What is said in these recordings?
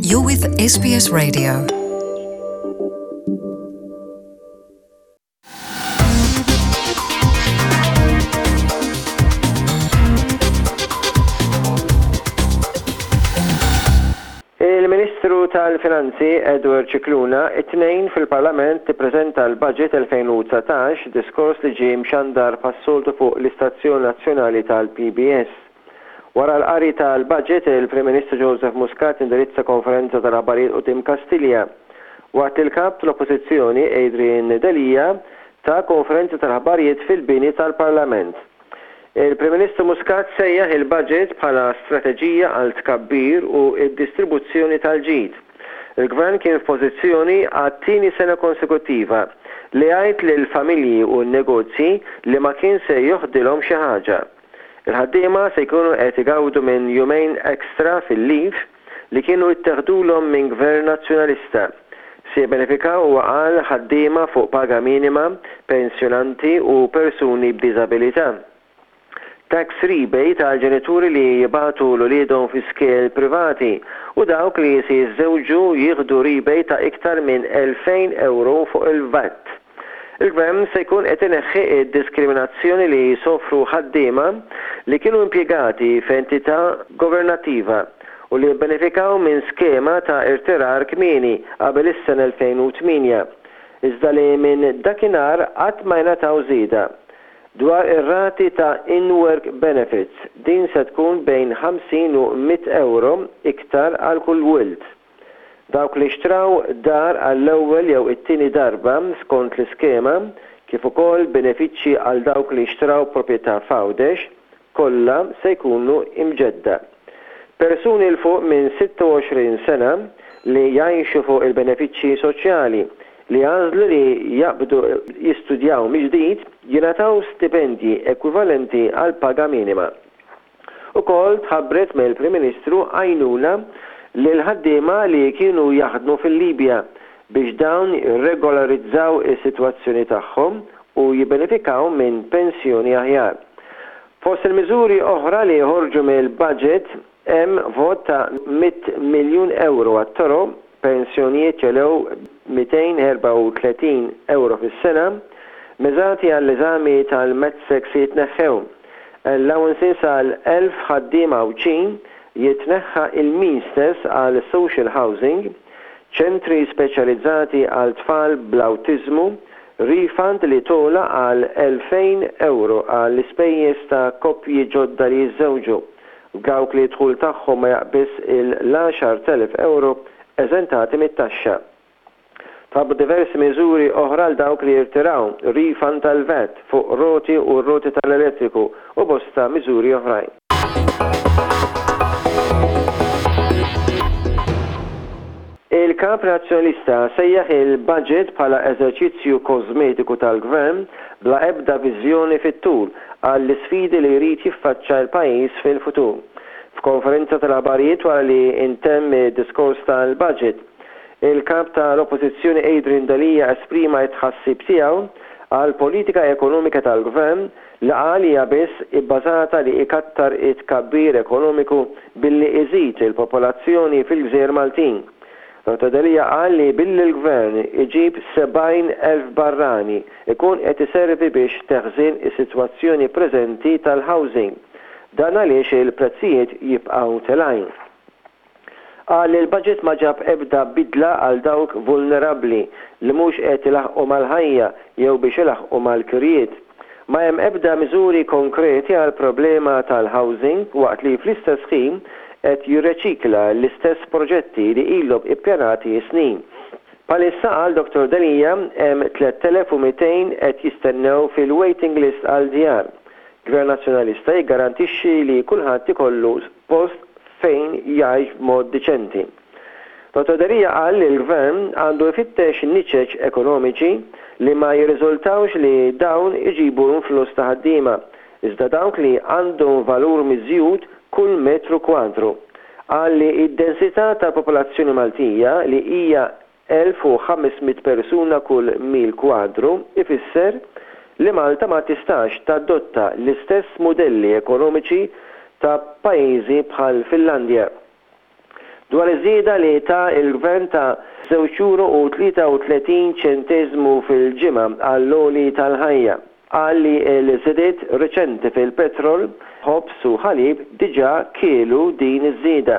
You're with SBS Radio. Il-Ministru tal-Finanzi Edward Scicluna it-Tnejn fil-Parlament ippreżenta l-Budget 2019, diskors li ġie mxandar bħas-soltu fuq l-istazzjon nazzjonali tal-PBS. Wara l-qari tal-Budget, il-Prim Ministru Joseph Muscat indirizza konferenza tal-aħbarijiet quddiem Kastilja, waqt li l-Kap tal-Oppożizzjoni Adrian Delia ta konferenza tal-aħbarijiet fil-bini tal-Parlament. Il-Prim Ministru Muscat sejjaħ il-Budget bħala strateġija għal tkabbir u d-distribuzzjoni tal-ġid. Il-Gvern kien f'pożizzjoni għat-tieni sena konsekuttiva li jgħid lill-familji u n-negozji li ma kien se joħdilhom xi ħaġa. Il-ħaddiema se jkunu qed igawdu minn jumejn extra fil-leave li kienu itteħdulhom minn Gvern Nazzjonalista. Se jibbenefikaw huwa qal ħaddiema fuq paga minima, pensjonanti u persuni b'diżabilità. Tax rebate għal ġenituri li jibagħtu 'l uliedhom fi skejjel privati u dawk li se jiżżewġu jieħdu rebate ta' iktar minn 2,000 ewro fuq il-VAT. Il-Gvern se jkun qed ineħħi d-diskriminazzjoni li jsofru ħaddiema li kienu impjegati f'entità governattiva u li bbenefikaw minn skema ta' irtirar kmieni qabel is-sena 2008, iżda li minn dakinhar qatt ma jingħataw żieda. Dwar ir-rati ta' in-work benefits, din se tkun bejn 50 u 100 ewro iktar għal kull wild. Dawk li xtraw dar għall-ewwel jew it-tieni darba skont l-iskema, kif ukoll benefiċċji għal dawk li xtraw proprjetà f'Għawdex, kollha se jkunu imġedda. Persuni 'l fuq minn 26 sena li jgħixu fuq il-benefiċċji soċjali, li għażlu li jaqbdu jistudjaw mill-ġdid jingħataw stipendji ekwivalenti għall-paga minima. Ukoll tħabbret mill-Prim Ministru għajnuna lill-ħaddiema li kienu jaħdmu fil-Libja biex dawn jirregolarizzaw is-sitwazzjoni tagħhom u jibbenefikaw minn pensjoni aħjar. Fost il-miżuri oħra li joħorġu mill-budget hemm vot ta' 100 miljun ewro għat-toroq, pensjonijiet jogħlew b'234 ewro fis-sena, miżati għall-eżami tal-MATSEC se jitneħħew, allowances għal 1,000 ħaddiem Għawdxin, jitneħħa il-means test għal social housing, ċentri speċjalizzati għal tfal bl-awtiżmu, refund li togħla għal 2,000 ewro għall-ispejjeż ta' koppji ġodda li jiżżewġu. Dawk li d-dħul tagħhom ma jaqbiżx il-10,000 ewro eżentati mit-taxxa. Tħabbru diversi miżuri oħra għal dawk li jirtiraw, refund tal-VAT fuq roti u r-roti tal-elettriku u bosta miżuri oħrajn. Il-Kap Nazzjonalista sejjaħ il-budget bħala eżerċizzju kożmetiku tal-Gvern bla ebda viżjoni fit-tul għall-isfidi li jrid jiffaċċa l-pajjiż fil-futur. F'konferenza tal-aħbarijiet wara li ntemm id-diskors tal-budget, il-Kap tal-Oppożizzjoni Adrian Delia esprima t-tħassib tiegħu għall-politika ekonomika tal-Gvern li qal hija biss ibbażata li ikattar it-tkabbir ekonomiku billi iżid il-popolazzjoni fil-gżejjer Maltin. Dottor Delia qal li billi l-Gvern iġib 70,000 barrani ikun qed iservi biex teħżien is-sitwazzjoni preżenti tal-housing. Dan għaliex il-prezzijiet jibqgħu telgħin. Qal li l-budget ma ġab ebda bidla għal dawk vulnerabbli li mhux qed ilaħħqu mal-ħajja jew biex ilaħħqu mal-kirjiet. Ma hemm ebda miżuri konkreti għall-problema tal-housing waqt li fl-istess ħin qed jirreċikla l-istess proġetti li ilhom ippjanati snin. Bħalissa, qal Dottor Delia, hemm 3,200 qed jistennew fil-waiting list għal djar. Gvern Nazzjonalista jiggarantixxi li kulħadd ikollu post fejn jgħix b'mod diċenti. Dottor Delia qal li l-Gvern għandu jfittex niċeċ ekonomiċi li ma jirriżultawx li dawn iġibu influss ta' ħaddiema, iżda dawk li għandhom valur miżjud kull metru kwadru. Qal li d-densità tal-popolazzjoni Maltija li hija 1,500 persuna kull mil kwadru ifisser li Malta ma tistax tadotta l-istess mudelli ekonomiċi ta' pajjiżi bħall-Finlandja. dwar iż-żieda li ta l-Gvern ta' żewġ ewro u 33 ċenteżmu fil-ġimgħa għall-għoli tal-ħajja. Qal li l-żidiet riċenti fil-petrol, ħobż u ħalib diġà kielu din iż-żieda.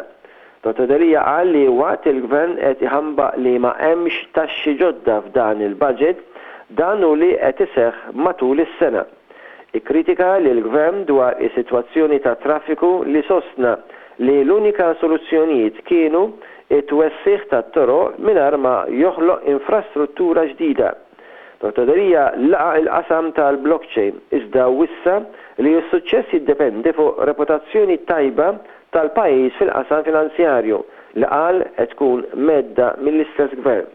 Dottor Delia qal li waqt il-Gvern qed iħambaq li ma hemmx taxxi ġodda f'dan il-budget, dan hu li qed iseħħ matul is-sena. Ikkritika lill-Gvern dwar is-sitwazzjoni tat-traffiku li sostna li l-unika soluzzjonijiet kienu t-twessigħ tat-toroq mingħajr ma joħloq infrastruttura ġdida. Dottor Delia laqa' il-qasam tal-blockchain iżda wissa li s-suċċess jiddependi fuq reputazzjoni tajba tal-pajjiż fil-qasam finanzjarju li qal qed tkun mhedda mill-istess Gvern.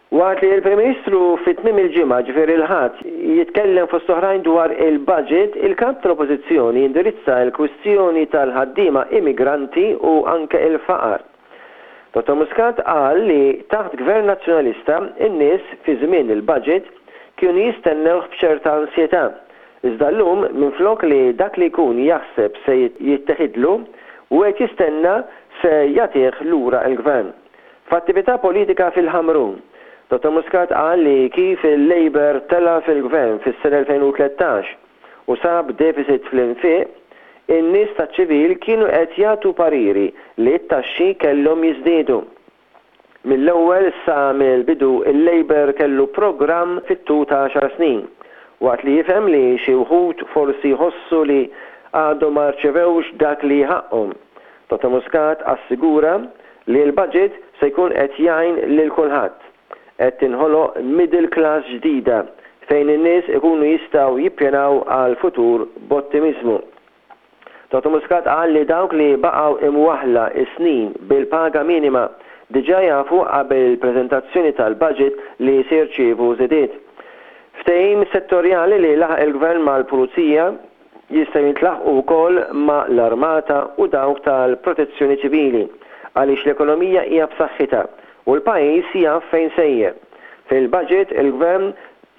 Waqt li l-Prim Ministru fi tmiem il-ġimgħa, ġifieri l-Ħadd, jitkellem fost oħrajn dwar il-budget, il-Kap tal-Oppożizzjoni indirizza l-kwistjoni tal-ħaddiema immigranti u anke l-faqar. Dottor Muscat qal li taħt Gvern Nazzjonalista n-nies fi żmien il-budget kienu jistennewh b'ċerta ansjetà, iżda llum minflok li dak li jkun jaħseb se jitteħidlu, wieħed jistenna se jagħtih lura l-Gvern. F'attività politika fil-Ħamrun, Dottor Muscat qal li kif il-Labour tela' fil-Gvern fis-sena 2013 u sab deficit fl-infiq, in-nies taċ-ċivil kienu qed jagħtu pariri li t-taxxi kellhom jiżdiedu. Mill-ewwel sa mill-bidu il-Labour kellu programm fit-tul ta' għaxar snin. Waqt li jifhem li xi wħud forsi jħossu li għadhom ma rċevewx dak li ħaqqhom, Dottor Muscat assigura li l-budget se jkun qed jgħin lil kulħadd. Qed tinħoloq middle class ġdida fejn in-nies ikunu jistgħu jippjanaw għall-futur b'ottimiżmu. Dottor Muscat qal li dawk li baqgħu imwaħħla s-snin bil-paga minima diġà jafu qabel il-preżentazzjoni tal-budget li se jirċievu żidiet. Ftehim settorjali li laħaq il-Gvern mal-Pulizija jistgħu jintlaħqu wkoll ma' l-Armata u dawk tal-Protezzjoni Ċivili għaliex l-ekonomija hija b'saħħitha u l-pajjiż jaf fejn sejjer. Fil-budget il-Gvern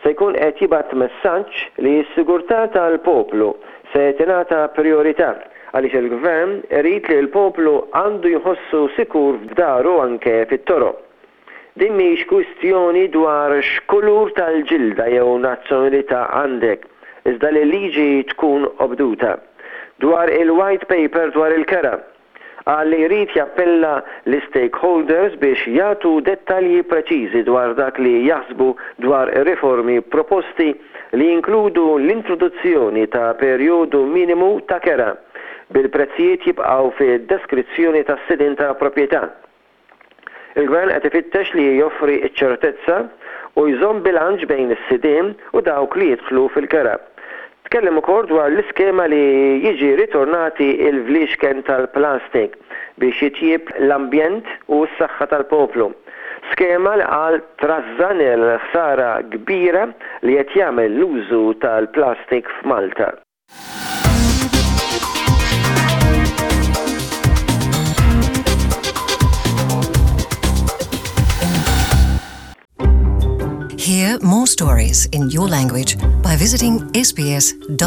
se jkun qed jibgħat messaġġ li s-sigurtà tal-poplu se tingħata prijorità għaliex il-Gvern irid li l-poplu għandu jħossu sikur f'daru anke fit-toroq. Din mhix kwistjoni dwar x'kulur tal-ġilda jew nazzjonalità għandek, iżda li l-liġi tkun obduta. Dwar il-White Paper dwar il-kera, qal li jrid jappella lis-stakeholders biex jagħtu dettalji preċiżi dwar dak li jaħsbu dwar ir-riformi proposti li jinkludu l-introduzzjoni ta' perjodu minimu ta' kera, bil-prezzijiet jibqgħu fid-deskrizzjoni tas-sidien ta' proprjetà. Il-Gvern qed ifittex li joffri ċ-ċertezza u jżomm bilanċ bejn is-sidien u dawk li jidħlu fil-kera. Tkellem ukoll dwar l-iskema li jiġi ritornati l-vliexken tal-plastik biex jitjieb l-ambjent u s-saħħa tal-poplu. Skema li qal trażżan il-ħsara kbira li qed jagħmel l-użu tal-plastik f'Malta. Hear more stories in your language by visiting sbs.com.au.